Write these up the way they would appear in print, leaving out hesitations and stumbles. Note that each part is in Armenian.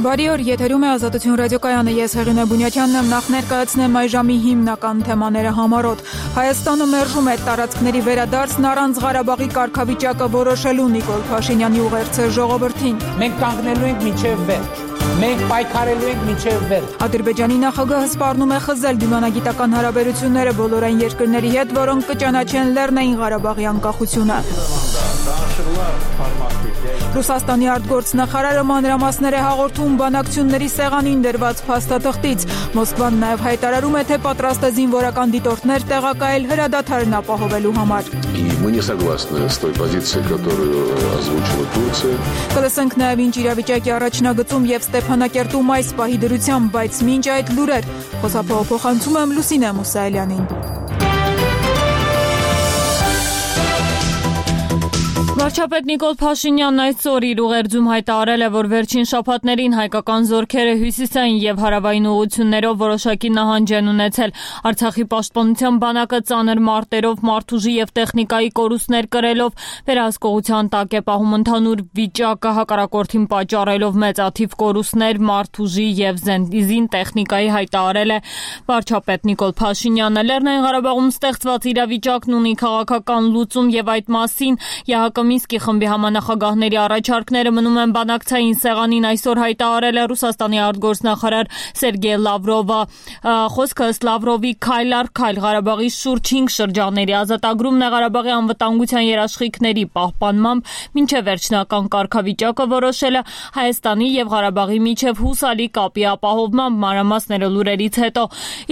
Բարի օր, եթերում է Ազատություն ռադիոկայանը, ես Հեղինե Բունյաթյանն եմ, նախ ներկայացնեմ այժմի հիմնական թեմաները համառոտ։ Հայաստանը մերժում է տարածքների վերադարձն առանց Ղարաբաղի կարգավիճակը որոշելու Նիկոլ Փաշինյանի ուղերձը ժողովրդին։ Մենք կանգնելու ենք մինչև վերջ։ Մենք պայքարելու ենք մինչև վերջ։ Ադրբեջանի նախագահը սպառնում է խզել դիվանագիտական հարաբերությունները բոլոր այն երկրների հետ, որոնք կճանաչեն Լեռնային Ղարաբաղի անկախությունը։ Ռուսաստանի արտգործնախարարը մանրամասներ է հաղորդում բանակցությունների սեղանին դրված փաստաթղթից։ Մոսկվան նաև հայտարարում է, թե պատրաստ է զինվորական դիտորդներ տեղակայել հրադադարն ապահովելու համար։ Мы не согласны с той позицией, которую озвучила Турция. Կլսենք նաև ինչ իրավիճակի առաջնագծում եւ Ստեփանակերտում այս պահի դրությամբ, բայց մինչ այդ լուրեր փոխանցում եմ Լուսինե Մուսայելյանին։ Վարչապետ Նիկոլ Փաշինյանն այսօր իր ուղերձում հայտարարել է, որ վերջին շաբաթներին հայկական զորքերը հյուսիսային եւ հարավային ուղղություններով որոշակի նահանջ են ունեցել։ Արցախի պաշտպանության բանակը ծանր մարտերով, մարդուժի եւ տեխնիկայի կորուստներ կրելով վերահսկողության տակ է պահում ընդհանուր վիճակը, հակառակորդին պատճառելով մեծաթիվ կորուստներ մարդուժի եւ զին տեխնիկայի, հայտարարել է վարչապետ Նիկոլ Փաշինյանը։ Լեռնային Ղարաբաղում ստեղծված իրավիճակն ունի քաղաքական լուծում եւ այդ մասին Մինսկի խմբի համանախագահների առաջարկները մնում են բանակցային սեղանին, այսօր հայտարարել է Ռուսաստանի արտգործնախարար Սերգեյ Լավրովը։ Խոսքը ըստ Լավրովի քայլ առ քայլ Ղարաբաղի շուրջ 5 շրջանների ազատագրումն է Ղարաբաղի անվտանգության երաշխիքների պահպանմամբ մինչև վերջնական կարգավիճակը որոշելը Հայաստանի եւ Ղարաբաղի միջև հուսալի կապի ապահովմամբ մանրամասները լուրերից հետո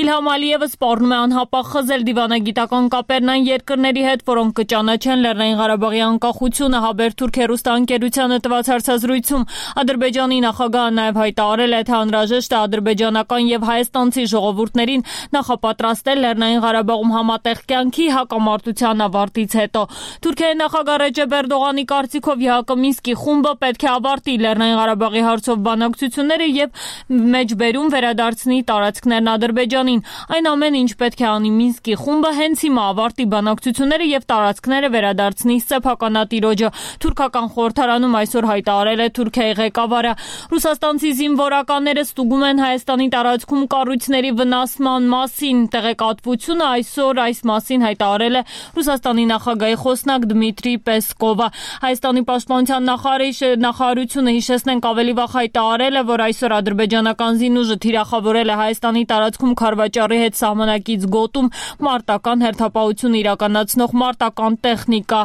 Իլհամ Ալիևը սպառնում է անհապաղ խզել դիվանագիտական կապերն այն երկրների հետ, որոնք կճանաչեն Լեռնային Ղարաբաղի անկախությունը Հաբերթուրք հեռուստաընկերությանը տված հարցազրույցում Ադրբեջանի նախագահը նաև հայտարարել է, թե անհրաժեշտ է ադրբեջանական եւ հայաստանցի ժողովուրդներին նախապատրաստել Լեռնային Ղարաբաղում համատեղ կյանքի հակամարտության ավարտից հետո։ Թուրքիայի նախագահ Ռեջեփ Էրդողանի կարծիքով ԵՀԿ Մինսկի խումբը պետք է ավարտի Լեռնային Ղարաբաղի հարցով բանակցությունները եւ մեջբերում վերադարձնի տարածքներն Ադրբեջանին։ Այն ամենը, ինչ պետք է անի Մինսկի խումբը, հենց հիմա ավարտի բանակցությունները եւ տարածքները վերադարձնի սեփականատիրոջը։ Թուրքական խորհրդարանում այսօր հայտարարել է Թուրքիայի ղեկավարը։ Ռուսաստանցի զինվորականները ստուգում են Հայաստանի տարածքում կառույցների վնասման մասին տեղեկատվությունը, այսօր այս մասին հայտարարել է Ռուսաստանի նախագահի խոսնակ Դմիտրի Պեսկովը։ Հայաստանի պաշտպանության նախարարությունը, հիշեցնենք, ավելի վաղ հայտարարել է, որ այսօր ադրբեջանական զինուժը թիրախավորել է Հայաստանի տարածքում Քարվաճառի հետ սահմանակից գոտում մարտական հերթապահություն իրականացնող մարտական տեխնիկա։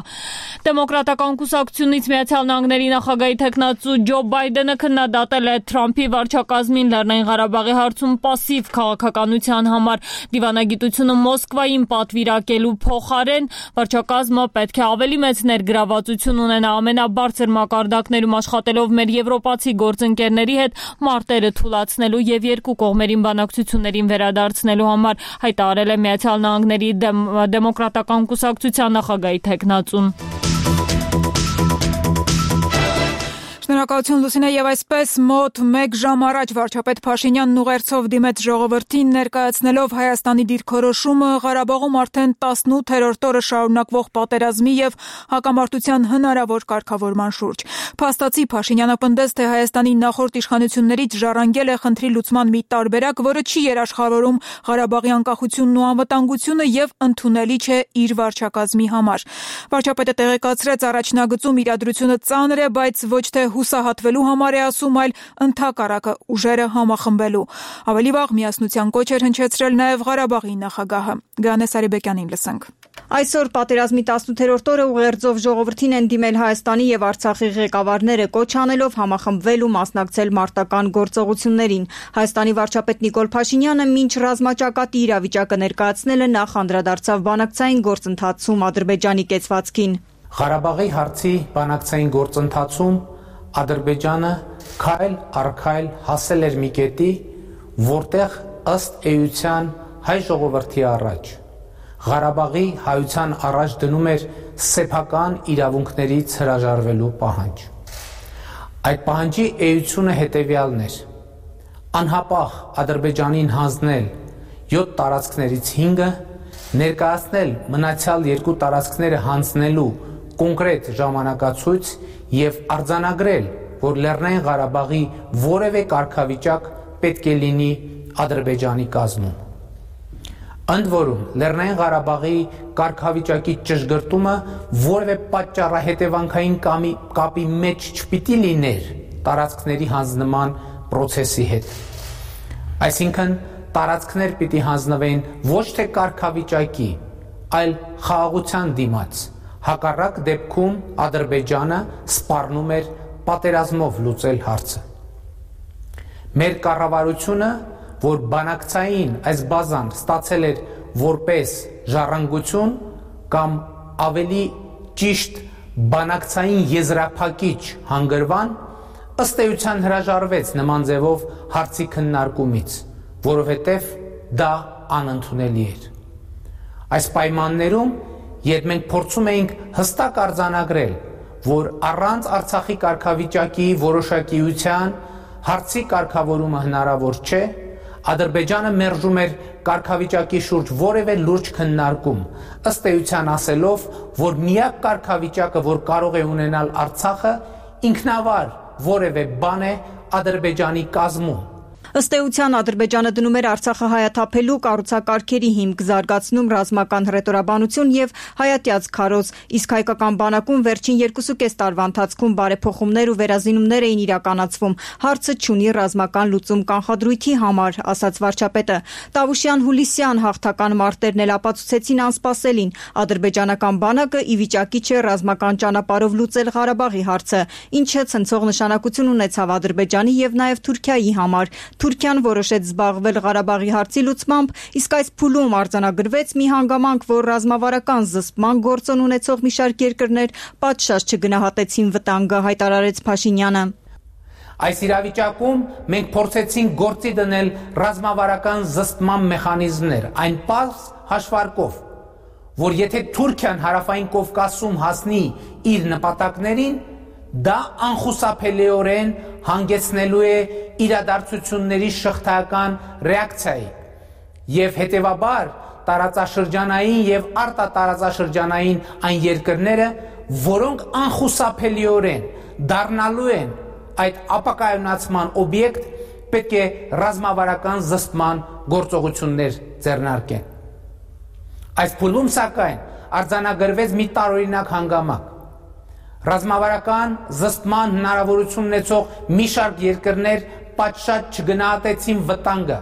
Դեմոկրատական կուսակցությունից Միացյալ Նահանգների նախագահի թեկնածու Ջո Բայդենը քննադատել է Թրամփի վարչակազմին Լեռնային Ղարաբաղի հարցում պասիվ քաղաքականության համար։ Դիվանագիտությունը Մոսկվային պատվիրակելու փոխարեն վարչակազմը պետք է ավելի մեծ ներգրավվածություն ունենա ամենաբարձր մակարդակներում աշխատելով մեր եվրոպացի գործընկերների հետ մարտերը թուլացնելու եւ երկու կողմերին բանակցություններին վերադարձնելու համար, հայտարարել է Միացյալ Նահանգների դեմոկրատական կուսակցության նախագահի թեկնածուն։ Շնորհակալություն Լուսինե, եւ այսպես մոտ 1 ժամ առաջ վարչապետ Փաշինյանն ուղերձով դիմեց ժողովրդին ներկայացնելով Հայաստանի դիրքորոշումը Ղարաբաղում արդեն 18-րդ օրը շարունակվող պատերազմի եւ հակամարտության հնարավոր կարգավորման շուրջ։ Փաստացի Փաշինյանը պնդեց, թե Հայաստանի նախորդ իշխանություններից ժառանգել է խնդրի լուծման մի տարբերակ, որը չի երաշխավորում Ղարաբաղի անկախությունն ու անվտանգությունը եւ ընդունելի չէ իր վարչակազմի համար։ Վարչապետը տեղեկացրեց, առաջնագծում իրադրությունը ծանր է, բայց ոչ թե հուսահատվելու համար է ասում, այլ ընդհակառակը ուժերը համախմբելու։ Ավելի վաղ միասնության կոչ էր հնչեցրել նաև Ղարաբաղի նախագահը։ Գանե Սարիբեկյանին լսենք։ Այսօր պատերազմի 18-րդ օրը ուղերձով ժողովրդին են դիմել Հայաստանի եւ Արցախի ղեկավարները, կոչ անելով համախմբվել ու մասնակցել մարտական գործողություններին։ Հայաստանի վարչապետ Նիկոլ Փաշինյանը մինչ ռազմաճակատի իրավիճակը ներկայացնելը նախ անդրադարձավ բանակցային գործընթացում Ադրբեջանի կեցվածքին։ Ղարաբաղի հարցի բանակցային գործընթացում Ադրբեջանը քայլ առ քայլ հասել էր մի կետի, որտեղ ըստ էության հայ ժողովրդի առաջ Ղարաբաղի հայության առաջ դնում էր սեփական իրավունքներից հրաժարվելու պահանջ։ Այդ պահանջի էությունը հետևյալն էր. անհապաղ Ադրբեջանին հանձնել 7 տարածքներից 5-ը, ներկայացնել մնացյալ 2 տարածքները հանձնելու կոնկրետ ժամանակացույց եւ արձանագրել որ Լեռնային Ղարաբաղի որևէ կարգավիճակ պետք է լինի Ադրբեջանի կազմում։ Ընդ որում, Լեռնային Ղարաբաղի կարգավիճակի ճշգրտումը որևէ պատճառահետևանքային կապի մեջ չպիտի լիներ տարածքների հանձնման պրոցեսի հետ։ Այսինքն, տարածքներ պիտի հանձնվեն ոչ թե կարգավիճակի, այլ խաղաղության դիմաց։ Հակառակ դեպքում Ադրբեջանը սպառնում էր պատերազմով լուծել հարցը։ Մեր կառավարությունը, որ բանակցային այս բազան ստացել էր որպես ժառանգություն կամ ավելի ճիշտ բանակցային եզրափակիչ հանգրվան, ըստ էության հրաժարվեց նման ձևով հարցի քննարկումից, որովհետև դա անընդունելի էր։ Այս պայմաններում, երբ մենք փորձում էինք հստակ արձանագրել, որ առանց Արցախի կարգավիճակի որոշակիության հարցի կարգավորումը հնարավոր չէ, Ադրբեջանը մերժում էր կարգավիճակի շուրջ որևէ լուրջ քննարկում, ըստ էության ասելով, որ միակ կարգավիճակը, որ կարող է ունենալ Արցախը, ինքնավար որևէ բան է Ադրբեջանի կազմում։ Ըստ էության Ադրբեջանը դնում էր Արցախը հայաթափելու կառուցակարգերի հիմք, զարգացնում ռազմական հռետորաբանություն եւ հայատյաց քարոզ, իսկ հայկական բանակում վերջին 2.5 տարվա ընթացքում բարեփոխումներ ու վերազինումներ էին իրականացվում։ Հարցը չունի ռազմական լուծում կանխադրույթի համար, ասաց վարչապետը։ Տավուշյան-Հուլիսյան հաղթական մարտերն էլ ապացուցեցին անսպասելին։ Ադրբեջանական բանակը ի վիճակի չէ ռազմական ճանապարհով լուծել Ղարաբաղի հարցը, ինչը ցնցող նշանակություն ունեցավ Ադրբեջանի եւ նաեւ Թուրքիայի համար։ Թուրքիան որոշեց զբաղվել Ղարաբաղի հարցի լուծմամբ, իսկ այս փուլում արձանագրվեց մի հանգամանք, որ ռազմավարական զսպման գործոն ունեցող մի շարք երկրներ պատշաճ չգնահատեցին վտանգը, հայտարարեց Փաշինյանը։ Այս իրավիճակում մենք փորձեցինք գործի դնել ռազմավարական զսպման մեխանիզմներ, այն պարզ հաշվարկով, որ եթե Թուրքիան Հարավային Կովկասում հասնի իր նպատակներին, դա անխուսափելիորեն հանգեցնելու է իրադարձությունների շղթայական ռեակցիայի եւ հետեւաբար տարածաշրջանային եւ արտատարածաշրջանային այն երկրները, որոնք անխուսափելիորեն դառնալու են այդ ապակայունացման օբյեկտ, պետք է ռազմավարական զսպման գործողություններ ձեռնարկեն։ Այս փուլում սակայն արձանագրվեց մի տարօրինակ հանգամանք։ Ռազմավարական զսպման հնարավորություն ունեցող մի շարք երկրներ պատշաճ չգնահատեցին վտանգը,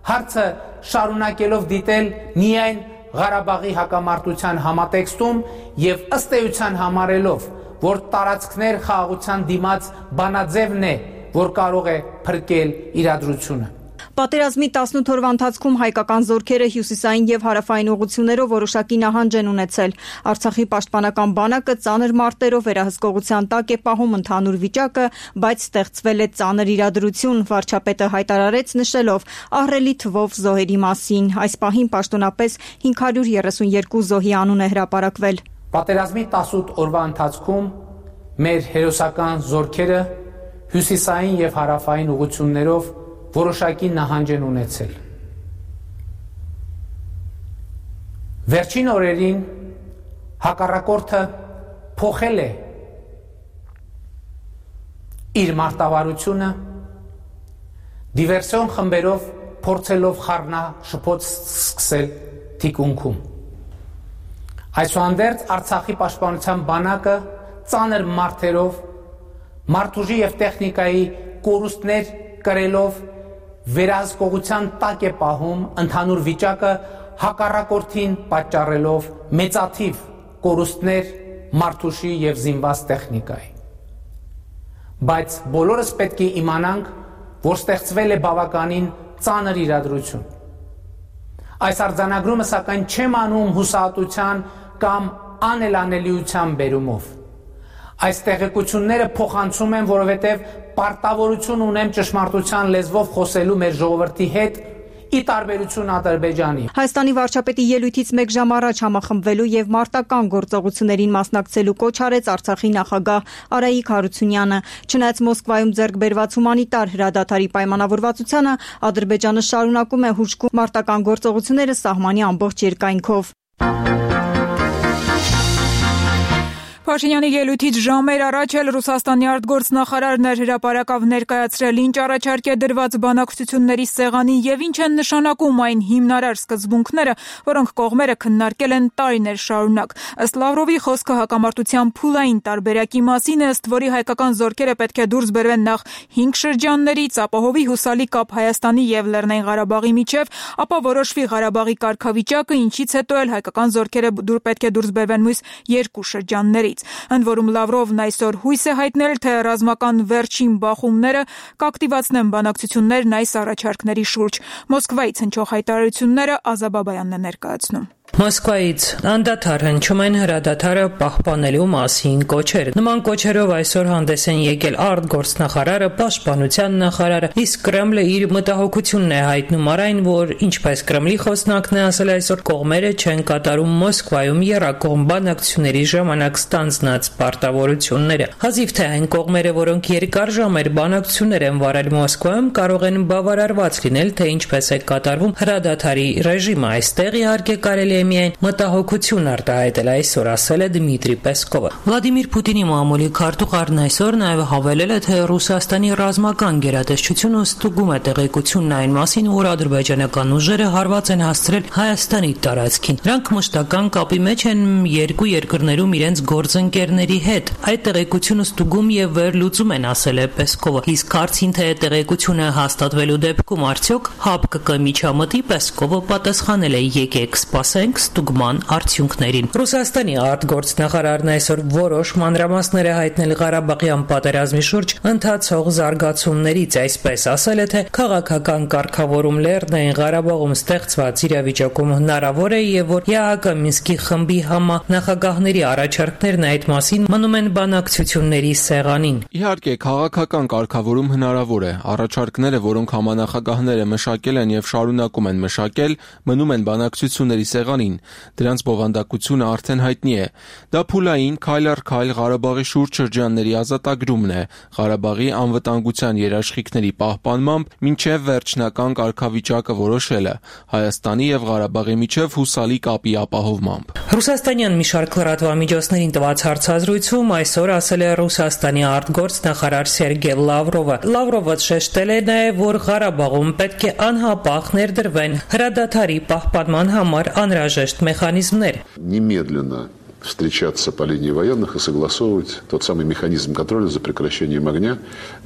հարցը շարունակելով դիտել միայն Ղարաբաղի հակամարտության համատեքստում եւ ըստ էության համարելով, որ տարածքներ խաղաղության դիմաց բանաձևն է, որ կարող է փրկել իրադրությունը։ Պատերազմի 18 օրվա ընթացքում հայկական զորքերը հյուսիսային եւ հարավային ուղղություններով որոշակի նահանջ են ունեցել։ Արցախի պաշտպանական բանակը ծանր մարտերով վերահսկողության տակ է պահում ընդհանուր վիճակը, բայց ստեղծվել է ծանր իրադրություն, վարչապետը հայտարարեց նշելով ահռելի թվով զոհերի մասին։ Այս պահին պաշտոնապես 532 զոհի անուն է հրապարակվել։ Պատերազմի 18 օրվա ընթացքում մեր հերոսական զորքերը հյուսիսային եւ հարավային ուղղություններով որոշակի նահանջ են ունեցել։ Վերջին օրերին հակառակորդը փոխել է իր մարտավարությունը, դիվերսիոն խմբերով փորձելով խառնաշփոթ սկսել թիկունքում։ Այսուհանդերձ Արցախի պաշտպանության բանակը ծանր մարտերով, մարդուժի եւ տեխնիկայի կորուստներ կրելով վերահսկողության տակ է պահում ընդհանուր վիճակը, հակառակորդին պատճառելով մեծաթիվ կորուստներ մարդուժի եւ զինված տեխնիկայի։ Բայց բոլորս պետք է իմանանք, որ ստեղծվել է բավականին ծանր իրադրություն։ Այս արձանագրումը սակայն չեմ անում հուսահատության կամ անելանելիության բերումով։ Այս տեղեկությունները փոխանցում եմ, որովհետև պարտավորություն ունեմ ճշմարտության լեզվով խոսելու մեր ժողովրդի հետ, ի տարբերություն Ադրբեջանի։ Հայաստանի վարչապետի ելույթից մեկ ժամ առաջ համախմբվելու եւ մարտական գործողություններին մասնակցելու կոչ արեց Արցախի նախագահ Արայիկ Հարությունյանը։ Չնայած Մոսկվայում ձեռք բերված հումանիտար հրադադարի պայմանավորվածությանը, Ադրբեջանը շարունակում է հուժկու մարտական գործողությունները սահմանի ամբողջ երկայնքով։ Փաշինյանի ելույթից ժամեր առաջ էլ Ռուսաստանի արտգործնախարարն էր հրապարակավ ներկայացրել ինչ առաջարկ է դրված բանակցությունների սեղանին եւ ինչ են նշանակում այն հիմնարար սկզբունքները, որոնք կողմերը քննարկել են տարիներ շարունակ։ Ըստ Լավրովի խոսքը հակամարտության փուլային տարբերակի մասին է, ըստ որի հայկական զորքերը պետք է դուրս բերվեն նախ 5 շրջաններից, ապահովի հուսալի կապ Հայաստանի եւ Լեռնային Ղարաբաղի միջև, ապա որոշվի Ղարաբաղի կարգավիճակը, ինչից հետո էլ հայկական զորքերը պետք է դուրս բերվեն մյուս 2 շրջաններից։ Ընդ որում Լավրովն այսօր հույս է հայտնել, թե ռազմական վերջին բախումները կակտիվացնեն բանակցություններն այս առաջարկների շուրջ։ Մոսկվայից հնչող հայտարարությունները Ազա Բաբայանն է ներկայացնում։ Մոսկվայից անդադար հնչում են հրադադարը պահպանելու մասին կոչեր։ Նման կոչերով այսօր հանդես են եկել արտգործնախարարը, պաշտպանության նախարարը, իսկ Կրեմլը իր մտահոգությունն է հայտնում առ այն, որ ինչպես Կրեմլի խոսնակն է ասել այսօր, կողմերը չեն կատարում Մոսկվայում եռակողմ բանակցությունների ժամանակ ստանձնած պարտավորությունները։ Հազիվ թե այն կողմերը, որոնք երկար ժամեր բանակցություններ են վարել Մոսկվայում, կարող են բավարարված լինել, թե ինչպես է կատարվում հրադադարի ռեժիմը։ Այստեղ իհարկե կարելի է միայն մտահոգություն արտահայտել, այսօր ասել է Դմիտրի Պեսկովը։ Վլադիմիր Պուտինի մամուլի քարտուղարն այսօր նաև հավելել է, թե Ռուսաստանի ռազմական գերատեսչությունը ստուգում է տեղեկությունն այն մասին, որ ադրբեջանական ուժերը հարված են հասցրել Հայաստանի տարածքին։ Նրանք մշտական կապի մեջ են երկու երկրներում իրենց գործընկերների հետ։ Այդ տեղեկությունը ստուգում եւ վերլուծում են, ասել է Պեսկովը։ Իսկ հարցին, թե տեղեկությունը հաստատվելու դեպքում արդյոք ՀԱՊԿ կմիջամտի, Պեսկովը պատասխանել է՝ եկեք սպասենք ստուգման արդյունքներին։ Ռուսաստանի արտգործնախարարն այսօր որոշ մանրամասներ է հայտնել Ղարաբաղյան պատերազմի շուրջ ընթացող զարգացումներից, այսպես ասել է, թե քաղաքական կարգավորում Լեռնային Ղարաբաղում ստեղծված իրավիճակում հնարավոր է եւ որ ԵԱՀԿ Մինսկի խմբի համանախագահների առաջարկներն այդ մասին մնում են բանակցությունների սեղանին։ Իհարկե, քաղաքական կարգավորում հնարավոր է։ Առաջարկները, որոնք համանախագահները մշակել են եւ շարունակում են մշակել, մնում են բանակցությունների սեղանին, դրանց բովանդակությունը արդեն հայտնի է։ Դա փուլային քայլ առ քայլ Ղարաբաղի շուրջ շրջանների ազատագրումն է, Ղարաբաղի անվտանգության երաշխիքների պահպանմամբ մինչև վերջնական կարգավիճակը որոշելը, Հայաստանի եւ Ղարաբաղի միջև հուսալի կապի ապահովմամբ։ Ռուսաստանյան մի շարք լրատվամիջոցներին տված հարցազրույցում այսօր ասել է Ռուսաստանի արտգործնախարար Սերգեյ Լավրովը։ Լավրովը շեշտել է նաեւ, որ Ղարաբաղում պետք է անհապաղ ներդրվեն հրադադարի պահպանման համար անհրաժեշտ մեխանիզմներ։ Немедленно встречаться по линии военных и согласовывать тот самый механизм контроля за прекращением огня,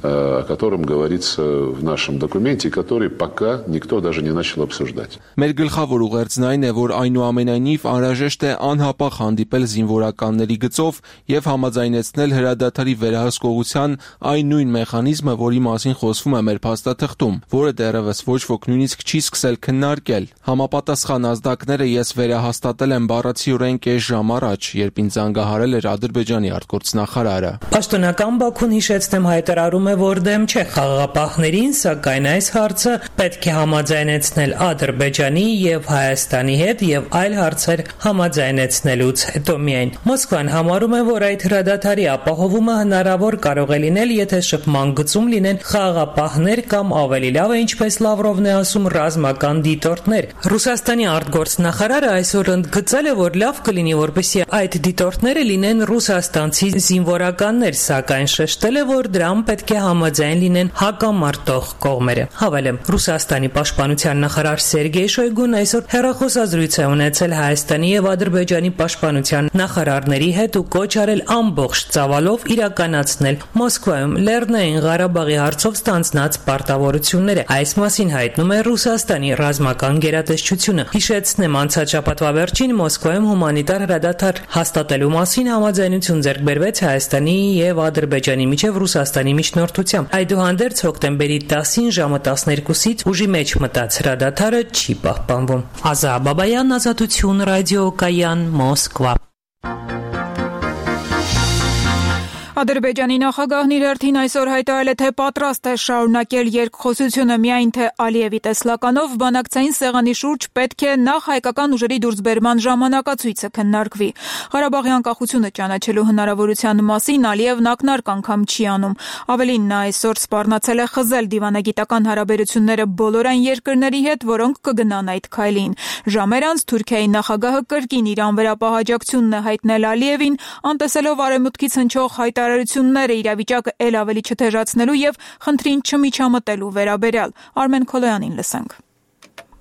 о котором говорится в нашем документе, который пока никто даже не начал обсуждать. Մեր գլխավոր ուղերձն այն է, որ այնուամենայնիվ անհրաժեշտ է անհապաղ հանդիպել զինվորականների գծով եւ համաձայնեցնել հրադադարի վերահսկողության այն նույն մեխանիզմը, որի մասին խոսվում է մեր փաստաթղթում, որը դեռևս ոչ ոք նույնիսկ չի սկսել քննարկել։ Համապատասխան ազդակները ես վերահաստատել եմ բառացիորեն կես ժամ առաջ, երբ ինձ զանգահարել էր Ադրբեջանի արտգործնախարարը։ Պաշտոնական Բաքուն, հիշեցնեմ, հայտարարում է, որ դեմ չէ խաղաղապահներին, սակայն այս հարցը պետք է համաձայնեցնել Ադրբեջանի եւ Հայաստանի հետ եւ այլ հարցեր համաձայնեցնելուց հետո միայն։ Մոսկվան համարում է, որ այդ հրադադարի ապահովումը հնարավոր կարող է լինել, եթե շփման գծում լինեն խաղաղապահներ կամ ավելի լավ է, ինչպես Լավրովն է ասում, ռազմական դիտորդներ։ Ռուսաստանի արտգործնախարարը այսօր ընդգծել է, որ լավ կլինի, որպեսզի այդ դիտորդները լինեն ռուսաստանցի զինվորականներ, սակայն շեշտել է, որ դրան պետք է համաձայն լինեն հակամարտող կողմերը։ Հավելեմ, Ռուսաստանի պաշտպանության նախարար Սերգեյ Շոյգուն այսօր հեռախոսազրույց է ունեցել Հայաստանի եւ Ադրբեջանի պաշտպանության նախարարների հետ ու կոչ արել ամբողջ ծավալով իրականացնել Մոսկվայում Լեռնային Ղարաբաղի հարցով ստանձնած պարտավորությունները։ Այս մասին հայտնում է Ռուսաստանի ռազմական գերատեսչությունը։ Հիշեցնեմ, անցած շաբաթվա վերջին Մոսկվայում հումանիտար հրադադար հաստատելու մասին համաձայնություն ձեռք բերվեց Հայաստանի եւ Ադրբեջանի միջև Ռուսաստանի միջնորդությամբ։ Այդուհանդերձ հոկտեմբերի 10-ին ժամը 12-ից ուժի մեջ մտած հրադադարը չի պահպանվում։ Ազա Բաբայան, Ազատություն ռադիոկայան, Մոսկվա։ Ադրբեջանի նախագահն իր հերթին այսօր հայտարարել է, թե պատրաստ է շարունակել երկխոսությունը, միայն թե Ալիևի տեսլականով բանակցային սեղանի շուրջ պետք է նախ հայկական ուժերի դուրսբերման ժամանակացույցը քննարկվի։ Ղարաբաղի անկախությունը ճանաչելու հնարավորության մասին Ալիևն ակնարկ անգամ չի անում։ Ավելին, նա այսօր սպառնացել է խզել դիվանագիտական հարաբերությունները բոլոր այն երկրների հետ, որոնք կգնան այդ քայլին։ Ժամեր անց Թուրքիայի նախագահը կրկին իր անվերապահաջակցությունն է հայտնել Ալիևին, անտեսելով արևմուտքից հնչող հայտարարությունները իրավիճակը ել ավելի չթեժացնելու եւ խնդրին չմիջամտելու վերաբերյալ։ Արմեն Քոլոյանին լսենք։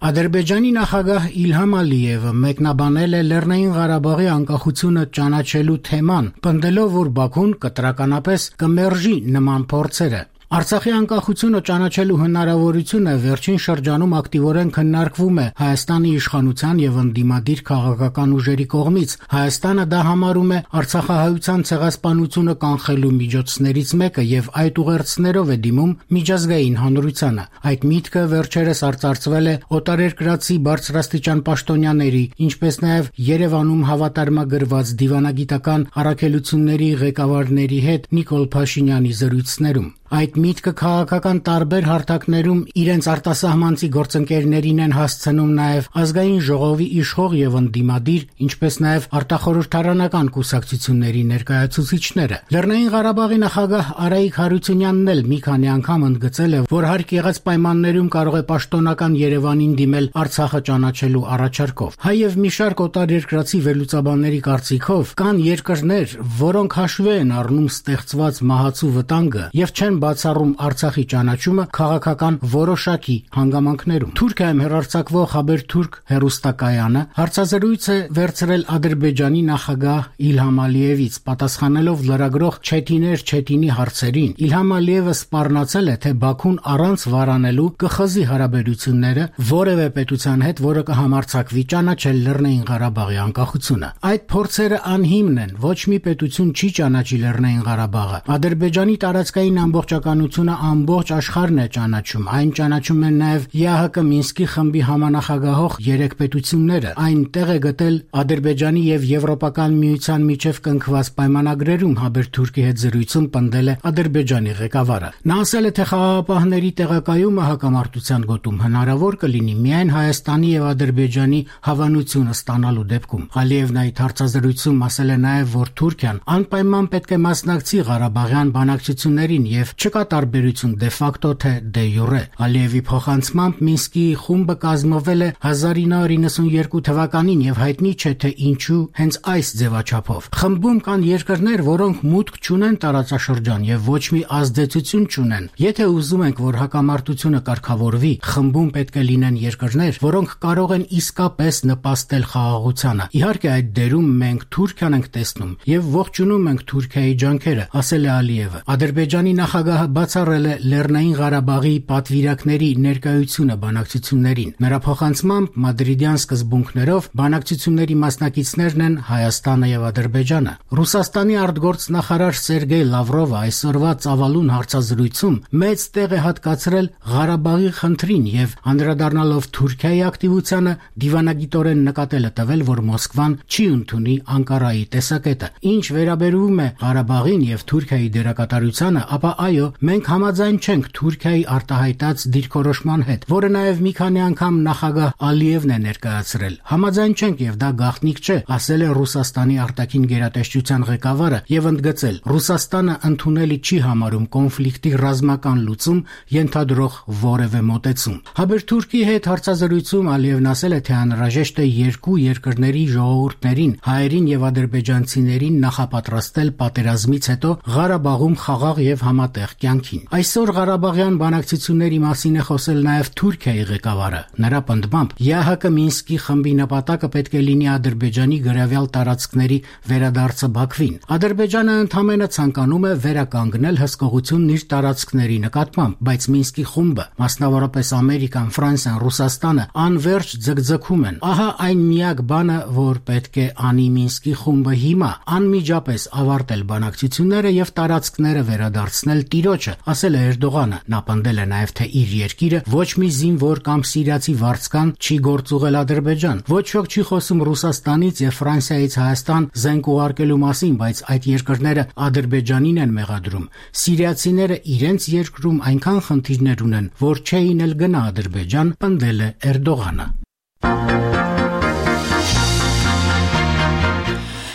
Ադրբեջանի նախագահ Իլհամ Ալիևը մեկնաբանել է Լեռնային Ղարաբաղի անկախությունը ճանաչելու թեման, պնդելով, որ Բաքուն կտրականապես կմերժի նման փորձերը։ Արցախի անկախությունը ճանաչելու հնարավորությունը վերջին շրջանում ակտիվորեն քննարկվում է Հայաստանի իշխանության եւ ընդդիմադիր քաղաքական ուժերի կողմից։ Հայաստանը դա համարում է արցախահայության ցեղասպանությունը կանխելու միջոցներից մեկը եւ այդ ուղերձներով է դիմում միջազգային հանրությանը։ Այդ միտքը վերջերս արծարծվել է օտարերկրացի բարձրաստիճան պաշտոնյաների, ինչպես նաեւ Երևանում հավատարմագրված դիվանագիտական առաքելությունների ղեկավարների հետ Նիկոլ Փաշինյանի զրույցներում։ Այդ միտքը քաղաքական տարբեր հարթակներում իրենց արտասահմանցի գործընկերներին են հասցնում նաև ազգային ժողովի իշխող եւ ընդդիմադիր, ինչպես նաև արտախորհրդարանական կուսակցությունների ներկայացուցիչները։ Լեռնային Ղարաբաղի նախագահ Արայիկ Հարությունյանն էլ մի քանի անգամ ընդգծել է, որ հարկ եղած պայմաններում կարող է պաշտոնական Երևանին դիմել Արցախը ճանաչելու առաջարկով։ Հայ եւ մի շարք օտարերկրացի վերլուծաբանների կարծիքով կան երկրներ, որոնք հաշվի են առնում ստեղծված մահացու վտանգը եւ չեն բացառում Արցախի ճանաչումը քաղաքական որոշակի հանգամանքներում։ Թուրքիայում հեռարձակվող Haberturk հեռուստակայանը հարցազրույց է վերցրել Ադրբեջանի նախագահ Իլհամ Ալիևից, պատասխանելով լրագրող Չետինի հարցերին։ Իլհամ Ալիևը սպառնացել է, թե Բաքուն առանց վարանելու կխզի հարաբերությունները որևէ պետության հետ, որը կհամարձակվի ճանաչել Լեռնային Ղարաբաղի անկախությունը։ Այդ փորձերը անհիմն են, ոչ մի պետություն չի ճանաչի Լեռնային Ղարաբաղը։ Ադրբեջանի տարածքային ամբողջականությունը ամբողջ աշխարհն է ճանաչում։ Այն ճանաչում են նաև ԵԱՀԿ Մինսկի խմբի համանախագահող 3 պետությունները։ Այն տեղ է գտել Ադրբեջանի եւ Եվրոպական միության միջև կնքված պայմանագրերում, Haberturk-ի հետ զրույցում պնդել է Ադրբեջանի ղեկավարը։ Նա ասել է, թե խաղաղապահների տեղակայումը հակամարտության գոտում հնարավոր կլինի միայն Հայաստանի եւ Ադրբեջանի հավանությունը ստանալու դեպքում։ Ալիևն այդ հարցազրույցում ասել է նաև, որ Թուրքիան անպայման պետք է մասնակցի Ղարաբաղյան բանակցություններին եւ չկա տարբերություն դե ֆակտո թե դե յուրե։ Ալիևի փոխանցմամբ Մինսկի խումբը կազմվել է 1992 թվականին եւ հայտնի չէ թե ինչու հենց այս ձևաչափով։ Խմբում կան երկրներ, որոնք մուտք չունեն տարածաշրջան եւ ոչ մի ազդեցություն չունեն։ Եթե ուզում ենք, որ հակամարտությունը կարգավորվի, խմբում պետք է լինեն երկրներ, որոնք կարող են իսկապես նպաստել խաղաղությանը։ Իհարկե այդ դերում մենք Թուրքիան ենք տեսնում եւ ողջունում ենք Թուրքիայի ջանքերը, ասել է Ալիևը։ Ադրբեջանի նախագահը բացառել է Լեռնային Ղարաբաղի պատվիրակների ներկայությունը բանակցություններին։ Նրա փոխանցմամբ մադրիդյան սկզբունքներով բանակցությունների մասնակիցներն են Հայաստանը եւ Ադրբեջանը։ Ռուսաստանի արտգործնախարար Սերգեյ Լավրովը այսօրվա ծավալուն հարցազրույցում մեծ տեղ է հատկացրել Ղարաբաղի խնդրին եւ անդրադառնալով Թուրքիայի ակտիվությանը դիվանագիտորեն նկատել է տվել, որ Մոսկվան չի ընդունի Անկարայի տեսակետը։ Ինչ վերաբերում է Ղարաբաղին եւ Թուրքիայի դերակատարությանը, ապա այո, մենք համաձայն չենք Թուրքիայի արտահայտած դիրքորոշման հետ, որը նաև մի քանի անգամ նախագահ Ալիևն է ներկայացրել։ Համաձայն չենք եւ դա գաղտնիք չէ, ասել է Ռուսաստանի արտաքին գերատեսչության ղեկավարը եւ ընդգծել. Ռուսաստանը ընդունելի չի համարում կոնֆլիկտի ռազմական լուծում ենթադրող որևէ մոտեցում։ Haberturk-ի հետ հարցազրույցում Ալիևն ասել է, թե անհրաժեշտ է երկու երկրների ժողովուրդներին, հայերին եւ ադրբեջանցիներին նախապատրաստել պատերազմից հետո Ղարաբաղում խաղաղ եւ համատեղ կյանքին։ Այսօր Ղարաբաղյան բանակցությունների մասին է խոսել նաև Թուրքիայի ղեկավարը։ Նրա պնդմամբ ԵԱՀԿ Մինսկի խմբի նպատակը պետք է լինի Ադրբեջանի գրավյալ տարածքների վերադարձը Բաքվին։ Ադրբեջանը ընդհանրապես ցանկանում է վերականգնել հսկողությունն իր տարածքների նկատմամբ, բայց Մինսկի խումբը, մասնավորապես Ամերիկան, Ֆրանսիան, Ռուսաստանը անverջ ձգձգում են։ Ահա այն միակ բանը, որ պետք է անի Մինսկի խումբը հիմա, անմիջապես ավարտել բանակցությունները եւ տարածքները վերադարձնել տիրոջը, ասել է Էրդողանը։ Նա պնդել է նաև, թե իր երկիրը ոչ մի զինվոր կամ սիրիացի վարձկան չի գործուղել Ադրբեջան։ Ոչ ոք չի խոսում Ռուսաստանից եւ Ֆրանսիայից Հայաստան զենք ուղարկելու մասին, բայց այդ երկրները Ադրբեջանին են մեղադրում։ Սիրիացիները իրենց երկրում այնքան խնդիրներ ունեն, որ չէին էլ գնա Ադրբեջան, պնդել է Էրդողանը։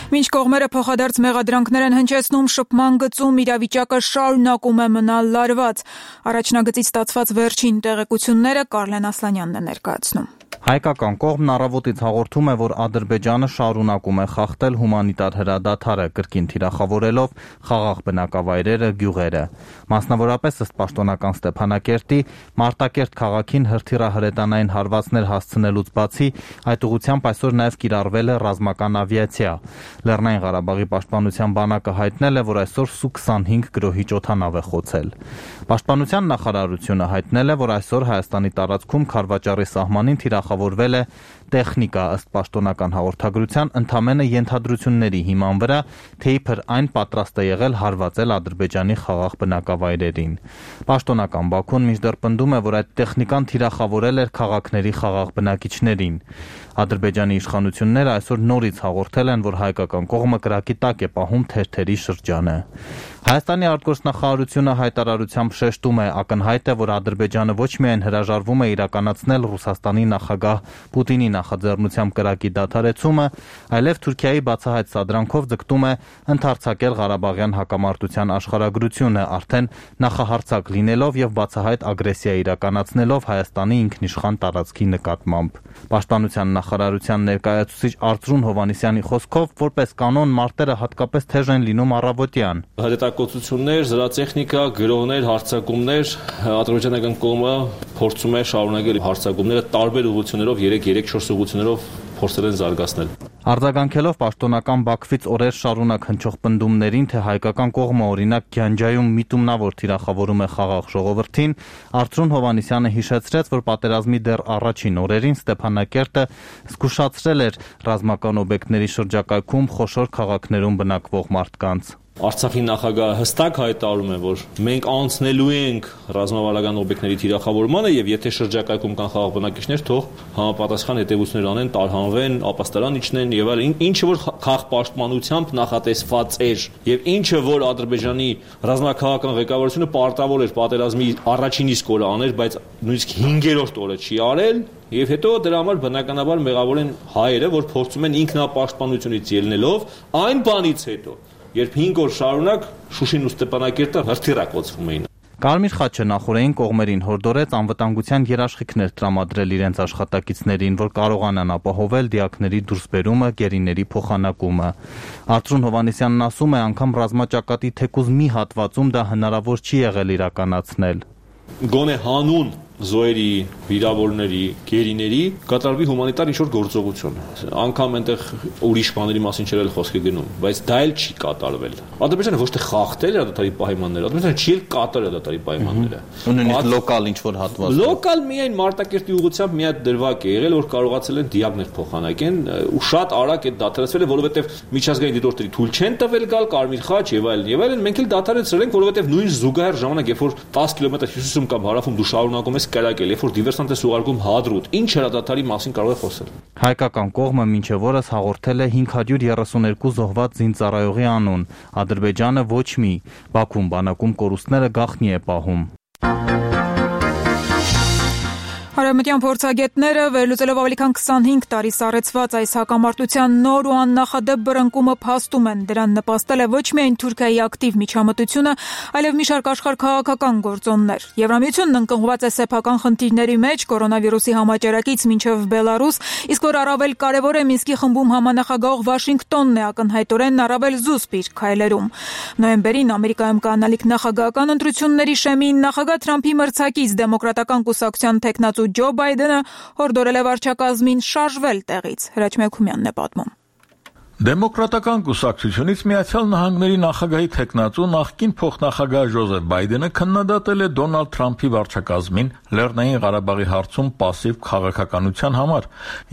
Մինչ կողմերը փոխադարձ մեղադրանքներ են հնչեցնում, շփման գծում իրավիճակը շարունակում է մնալ լարված։ Առաջնագծից ստացված վերջին տեղեկությունները Կարլեն Ասլանյանն է ներկայացնում։ Հայկական կողմն առավոտից հաղորդում է, որ Ադրբեջանը շարունակում է խախտել հումանիտար հրադադարը, կրկին թիրախավորելով խաղաղ բնակավայրերը, գյուղերը։ Մասնավորապես ըստ պաշտոնական Ստեփանակերտի, Մարտակերտ քաղաքին հրթիռահրետանային հարվածներ հասցնելուց բացի, այդ ուղղությամբ այսօր նաև կիրառվել է ռազմական ավիացիա։ Լեռնային Ղարաբաղի պաշտպանության բանակը հայտնել է, որ այսօր Սու-25 գրոհիչ օդանավ է խոցել։ Պաշտպանության նախարարությունը հայտնել է, որ այսօր Հայաստանի տարածքում Քարվաճառի սահմանին թիրախավորվել է տեխնիկա, ըստ պաշտոնական հաղորդագրության, ընդամենը ենթադրությունների հիման վրա, թե իբր այն պատրաստ է եղել հարվածել Ադրբեջանի խաղաղ բնակավայրերին։ Պաշտոնական Բաքուն մինչդեռ պնդում է, որ այդ տեխնիկան թիրախավորել էր քաղաքների խաղաղ բնակիչներին։ Ադրբեջանի իշխանությունները այսօր նորից հաղորդել են, որ հայկական կողմը կրակի տակ է պահում թերթերի շրջանը։ Հայաստանի արտգործնախարարությունը հայտարարությամբ շեշտում է, ակնհայտ է, որ Ադրբեջանը ոչ միայն հրաժարվում է իրականացնել Ռուսաստանի նախագահ Պուտինի նախաձեռնությամբ կրակի դադարեցումը, այլև Թուրքիայի բացահայտ սադրանքով ձգտում է ընդարձակել Ղարաբաղյան հակամարտության աշխարհագրությունը, արդեն նախահարձակ լինելով եւ բացահայտ ագրեսիա իրականացնելով Հայաստանի ինքնիշխան տարածքի նկատմամբ։ Պաշտպանության նախարարության ներկայացուցիչ Արծրուն Հովհաննիսյանի խոսքով, որպես կանոն մարտերը հատկապես թեժ են լինում առավոտյան։ Հրետակոծություններ, զրատեխնիկա, գրոհներ, հարձակումներ, ադրբեջանական կողմը փորձում է շարունակել հարձակումները տարբեր ուղղություններով, 3-4 ուղղություններով փորձել են զարգացնել։ Արձագանքելով պաշտոնական Բաքվից օրեր շարունակ հնչող պնդումներին, թե հայկական կողմը օրինակ Գյանջայում միտումնավոր թիրախավորում է խաղաղ ժողովրդին, Արծրուն Հովհաննիսյանը հիշեցրեց, որ պատերազմի դեռ առաջին օրերին Ստեփանակերտը զգուշացրել էր ռազմական օբյեկտների շրջակայքում խոշոր քաղաքներում բնակվող մարդկանց։ Արցախի նախագահը հստակ հայտարարում է, որ մենք անցնելու ենք ռազմավարական օբյեկտների թիրախավորմանը եւ եթե շրջակայքում կան խաղաղ բնակիչներ, թող համապատասխան հետևություններ անեն, տարհանվեն, ապաստարան իջնեն եւ այլն, ինչը որ խաղաղ պաշտպանությամբ նախատեսված էր եւ ինչը որ Ադրբեջանի ռազմաքաղաքական ղեկավարությունը պարտավոր էր պատերազմի առաջին իսկ օրը աներ, բայց նույնիսկ 5-րդ օրը չի արել։ Եվ հետո դրա համար բնականաբար մեղավոր են հայերը, որ փորձում են ինքնապաշտպանությունից ելնելով այն բանից հետո, երբ 5 օր շարունակ Շուշին ու Ստեփանակերտը հրթիռակոծվում էին։ Կարմիր խաչը նախորդին կողմերին հորդորեց անվտանգության երաշխիքներ տրամադրել իրենց աշխատակիցներին, որ կարողանան ապահովել դիակների դուրսբերումը, գերիների փոխանակումը։ Արծրուն Հովհաննիսյանն ասում է, անգամ ռազմաճակատի թեկուզ մի հատվածում դա հնարավոր չի եղել իրականացնել։ Գոնե հանուն զոհերի, վիրավորների, գերիների կատարվի հումանիտար ինչ-որ գործողություն։ Անկամ այնտեղ ուրիշ բաների մասին չէր խոսքը գնում, բայց դա էլ չի կատարվել։ Ադրբեջանը ոչ թե խախտել է դատարի պայմանները, Ադրբեջանը չի էլ կատարել դատարի պայմանները։ Ունենից լոկալ ինչ-որ հատված։ Լոկալ միայն Մարտակերտի ուղղությամբ մի հատ դրվագ է եղել, որ կարողացել են դիակներ փոխանակեն ու շատ արագ է դադարեցվել, որովհետև միջազգային դիտորդների թույլ չեն տվել գալ Կարմիր խաչ եւ այլն եւ այլն։ Մենք էլ դադարեցրել ենք, որովհետև նույն զուգահեռ ժամանակ, երբ որ 10 կիլոմետր հյուսիսում կամ հարավում դու շարունակում ես կրակել, երբ որ դիվերսանտ ես ուղարկում հադրուտ, ինչ հրադադարի մասին կարող է խոսել։ Հայկական կողմը մինչև օրս հաղորդել է 532 զոհված զինծառայողի անուն, Ադրբեջանը ոչ մի, Բաքուն բանակում կորուստները գաղտնի է պահում։ Արևմտյան փորձագետները վերլուծելով ավելի քան 25 տարի սառեցված այս հակամարտության նոր ու աննախադեպ բռնկումը փաստում են, դրան նպաստել է ոչ միայն Թուրքիայի ակտիվ միջամտությունը, այլև մի շարք աշխարհաքաղաքական գործոններ։ Եվրամիությունն ընկղմված է սեփական խնդիրների մեջ, կորոնավիրուսի համաճարակից մինչև Բելարուս, իսկ որ առավել կարևոր է Մինսկի խմբում համանախագահող Վաշինգտոնն է ակնհայտորեն առավել զուսպ իր քայլերում։ Նոյեմբերին Ամերիկայում կանալիք նախագահական ընտրությունների շեմին նախագահ Թրամփի մրցակից դեմոկրատական կուսակցության տեխնացու Ջո Բայդենը հորդորել է վարչակազմին շարժվել տեղից։ Հրաչ Մեքումյանն է պատմում։ Դեմոկրատական կուսակցությունից Միացյալ Նահանգների նախագահի թեկնածու նախկին փոխնախագահ Ջոզեֆ Բայդենը քննադատել է Դոնալդ Թրամփի վարչակազմին Լեռնային Ղարաբաղի հարցում պասիվ քաղաքականության համար։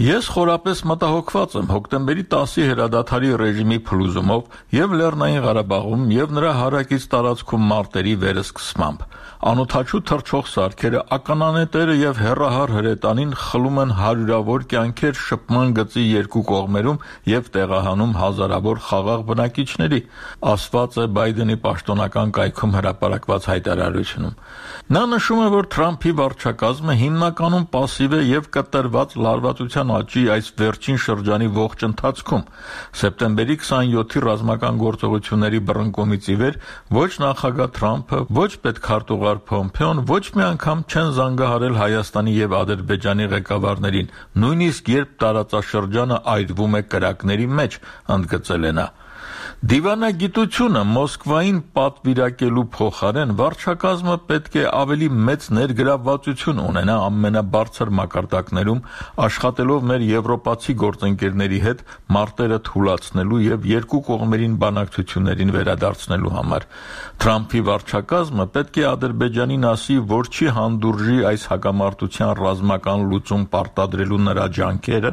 Ես խորապես մտահոգված եմ հոկտեմբերի 10-ի հրադադարի ռեժիմի փլուզումով եւ Լեռնային Ղարաբաղում եւ նրա հարակից տարածքում մարտերի վերսկսմամբ։ Անօթաչու թռչող սարքերը, ականանետերը եւ հեռահար հրետանին խլում են հարյուրավոր կյանքեր շփման գծի երկու կողմերում եւ տեղահանում հազարավոր խաղաղ բնակիչների, ասված է Բայդենի պաշտոնական կայքում հրապարակված հայտարարությունում։ Նա նշում է, որ Թրամփի վարչակազմը հիմնականում պասիվ է եւ կտրված լարվածության աճի այս վերջին շրջանի ողջ ընթացքում։ Սեպտեմբերի 27-ի ռազմական գործողությունների բռնկումից ի վեր ոչ նախագահ Թրամփը, ոչ պետքարտուղար Փոմփեոն ոչ մի անգամ չեն զանգահարել Հայաստանի եւ Ադրբեջանի ղեկավարներին, նույնիսկ երբ տարածաշրջանը այրվում է կրակների մեջ, ընդգծել է նա։ Դիվանագիտությունը Մոսկվային պատվիրակելու փոխարեն վարչակազմը պետք է ավելի մեծ ներգրավվածություն ունենա ամենաբարձր մակարդակներում, աշխատելով մեր եվրոպացի գործընկերների հետ մարտերը թուլացնելու եւ երկու կողմերին բանակցություններին վերադարձնելու համար։ Թրամփի վարչակազմը պետք է Ադրբեջանին ասի, որ չի հանդուրժի այս հակամարտության ռազմական լուծում պարտադրելու նրա ջանքերը,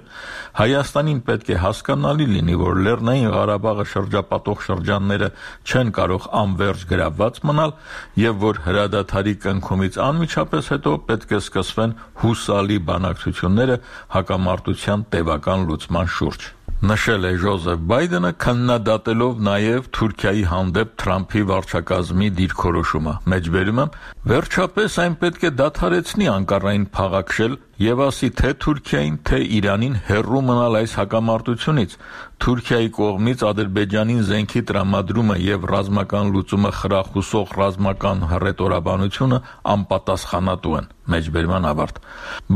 Հայաստանին պետք է հասկանալի լինի, որ Լեռնային Ղարաբաղը շրջապատող շրջանները չեն կարող անվերջ գրավված մնալ եւ որ հրադադարի կնքումից անմիջապես հետո պետք է սկսվեն հուսալի բանակցությունները հակամարտության տևական լուծման շուրջ։ Նշել է Ջոզեֆ Բայդենը, քննադատելով նաև Թուրքիայի հանդեպ Թրամփի վարչակազմի դիրքորոշումը։ Մեջբերում եմ, վերջապես այն պետք է դադարեցնի Անկարային փաղաքշել եւ ասի թե Թուրքիային, թե Իրանին հեռու մնալ այս հակամարտությունից։ Թուրքիայի կողմից Ադրբեջանին զենքի տրամադրումը եւ ռազմական լուծումը խրախուսող ռազմական հռետորաբանությունը անպատասխանատու են։ Մեջբերման ավարտ։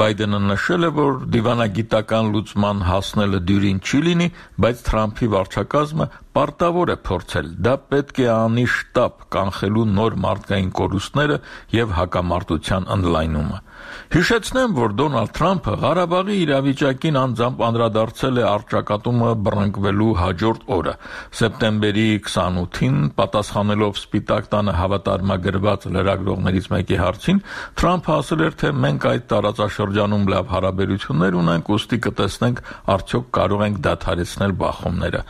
Բայդենը նշել է, որ դիվանագիտական լուծման հասնելը դյուրին չի լինի, բայց Թրամփի վարչակազմը պարտավոր է փորձել։ Դա պետք է անի շտապ կանխելու նոր մարդկային կորուստները եւ հակամարտության ընդլայնումը։ Հիշեցնեմ, որ Դոնալդ Թրամփը Ղարաբաղի իրավիճակին անձամբ անդրադարձել է առճակատումը բռնկվելու հաջորդ օրը։ Սեպտեմբերի 28-ին պատասխանելով Սպիտակ տանը հավատարմագրված լրագրողներից մեկի հարցին, Թրամփը ասել էր, թե մենք այդ տարածաշրջանում լավ հարաբերություններ ունենք, ուստի կտեսնենք արդյոք կարող ենք դադարեցնել բախումները։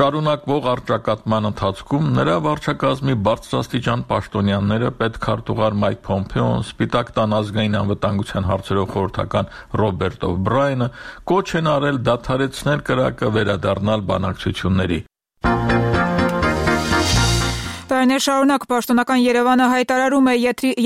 Շարունակվող առճակատման ընթացքում նրա վարչակազմի բարձրաստիճան պաշտոնյաները պետքարտուղար Մայք Փոմփեոն, Սպիտակ տան ազգային անվտանգության հարցերով խորհրդական Ռոբերտ Օ'Բրայենը կոչ են արել դադարեցնել կրակը, վերադառնալ բանակցությունների։ Տարիներ շարունակ պաշտոնական Երևանը հայտարարում է,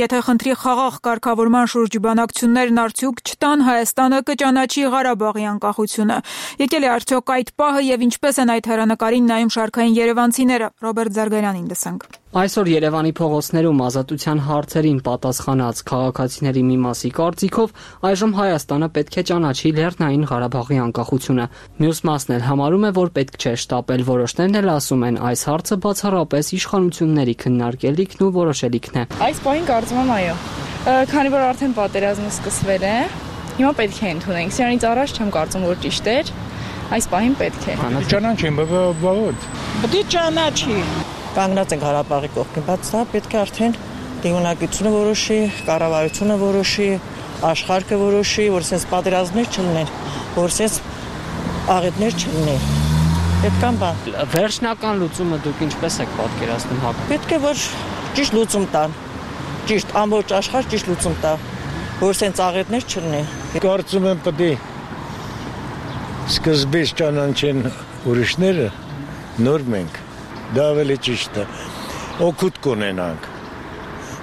եթե խնդրի խաղաղ կարգավորման շուրջ բանակցություններն արդյունք չտան, Հայաստանը կճանաչի Ղարաբաղի անկախությունը։ Եկել է արդյոք այդ պահը եւ ինչպես են այդ հեռանկարին նայում շարքային երևանցիները։ Ռոբերտ Զարգարյանին լսենք։ Այսօր Երևանի փողոցներում ազատության հարցերին պատասխանած քաղաքացիների մի մասի կարծիքով այժմ Հայաստանը պետք է ճանաչի Լեռնային Ղարաբաղի անկախությունը։ Մյուս մասն էլ համարում է, որ պետք չէ շտապել, որոշներն էլ ասում են այս հարցը բացառապես իշխանությունների քննարկելիքն ու որոշելիքն է։ Այս պահին կարծում եմ այո, քանի որ արդեն պատերազմը սկսվել է, հիմա պետք է ընդունենք։ Սրանից առաջ չեմ կարծում, որ ճիշտ էր, այս պահին պետք է։ Ճանաչին, բավարար։ Պետք է ճանաչի։ Կանգնած ենք Ղարաբաղի կողքին, բայց դա պետք է արդեն դիվանագիտությունը որոշի, կառավարությունը որոշի, աշխարհը որոշի, որ sense պատերազմներ չլինեն, որ sense աղետներ չլինեն։ Պետք է բան։ Վերջնական լուծումը դուք ինչպես եք պատկերացնում հա։ Պետք է որ ճիշտ լուծում տան։ Ճիշտ ամբողջ աշխարհ ճիշտ լուծում տա, որ sense աղետներ չլինեն։ Կարծում եմ պետք է սկզբից ճանաչեն ուրիշները, նոր մենք։ Դա ավելի ճիշտ է, օգուտ կունենանք,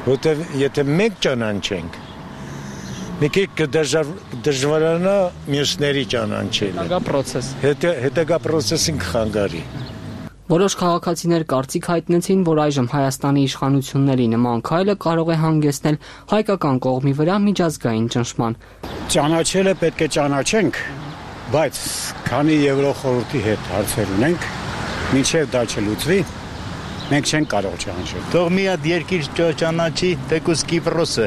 որտեղ եթե մենք ճանաչենք, մի քիչ կդժվարանա մյուսների ճանաչելը։ Հետագա պրոցեսին կխանգարի։ Որոշ քաղաքացիներ կարծիք հայտնեցին, որ այժմ Հայաստանի իշխանությունների նման քայլը կարող է հանգեցնել հայկական կողմի վրա միջազգային ճնշման։ Ճանաչելը պետք է ճանաչենք, բայց քանի Եվրոխորհրդի հետ հարցեր ունենք, մինչև դա չլուծվի, մենք չենք կարող ճանաչել։ Թող մի հատ երկիր ճանաչի, թեկուզ Կիպրոսը,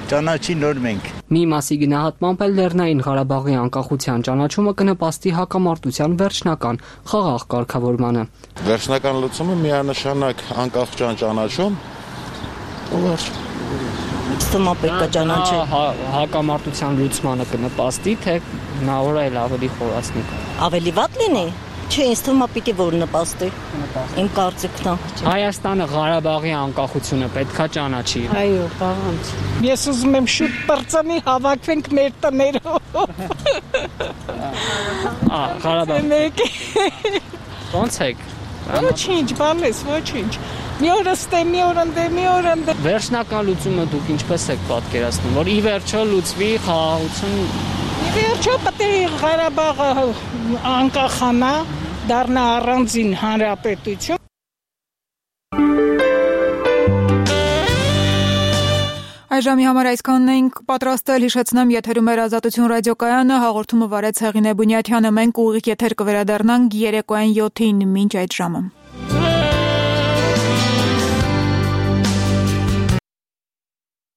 ճանաչի նոր մենք։ Մի մասի գնահատմամբ էլ Լեռնային Ղարաբաղի անկախության ճանաչումը կնպաստի հակամարտության վերջնական խաղաղ կարգավորմանը։ Վերջնական լուծումը միանշանակ անկախության ճանաչում ու վերջ։ Ստումա պետք է ճանաչել հակամարտության լուծմանը կնպաստի, թե հնարավոր է ավելի խորացնի։ Ավելի վատ լինի։ Չէ, ինձ թվում է պիտի որ նպաստի։ Իմ կարծիքն է։ Հայաստանը Ղարաբաղի անկախությունը պետքա ճանաչի։ Այո, բաղանց։ Ես ուզում եմ շուտ բրծանի հավաքվենք մեր տներով։ Ղարաբաղ։ Ոնց եք։ Ոչինչ, բանես, ոչինչ։ Մի օր ստե, մի օր ընդ։ Վերջնական լուծումը դուք ինչպես եք պատկերացնում, որ ի վերջո լուծվի խաղաղություն։ Ի վերջո պետք է Ղարաբաղը անկախանա, դառնա առանձին հանրապետություն։ Այժմի համար այսքանն ենք պատրաստել, հիշեցնեմ, եթերում էր Ազատություն ռադիոկայանը, հաղորդումը վարեց Հեղինե Բունյաթյանը, մենք ուղիղ եթեր կվերադառնանք երեկոյան 7-ին, մինչ այդ ժամը։